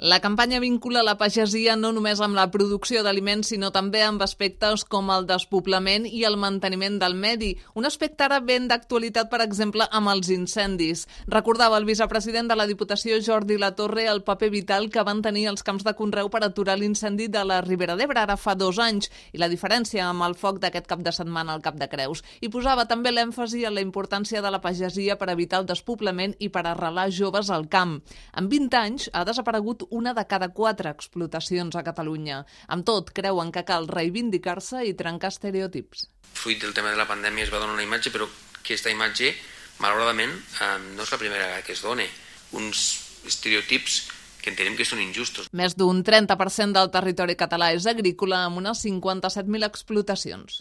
La campanya vincula la pagesia no només amb la producció d'aliments, sinó també amb aspectes com el despoblament i el manteniment del medi. Un aspecte ara ben d'actualitat, per exemple, amb els incendis. Recordava el vicepresident de la Diputació, Jordi Latorre, el paper vital que van tenir els camps de conreu per aturar l'incendi de la Ribera d'Ebre ara fa 2 anys i la diferència amb el foc d'aquest cap de setmana al Cap de Creus. I posava també l'èmfasi en la importància de la pagesia per evitar el despoblament i per arrelar joves al camp. En 20 anys ha desaparegut una de cada 4 explotacions a Catalunya. Amb tot, creuen que cal reivindicar-se i trencar estereotips. Fruit del tema de la pandèmia es va donar una imatge, però aquesta imatge, malauradament, no és la primera vegada que es dona. Uns estereotips que entenem que són injustos. Més d'un 30% del territori català és agrícola, amb unes 57.000 explotacions.